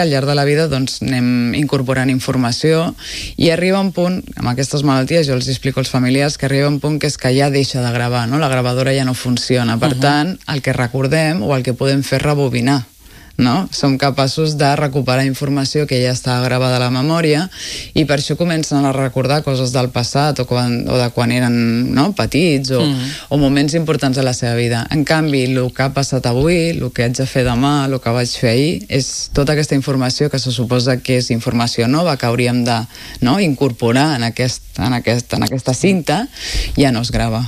al llarg de la vida anem incorporant informació i arriba un punt, amb aquestes malalties jo els explico als familiars que arriba un punt que és que ja deixa de gravar, no? La gravadora ja no funciona, per tant el que recordem o el que podem fer és rebobinar, no? Som capaços de recuperar informació que ja està gravada a la memòria i per això comencen a recordar coses del passat o de quan eren petits o moments importants de la seva vida. En canvi, el que ha passat avui, el que haig de fer demà, el que vaig fer ahir, és tota aquesta informació que se suposa que és informació nova que hauríem de incorporar en aquesta cinta, ja no es grava.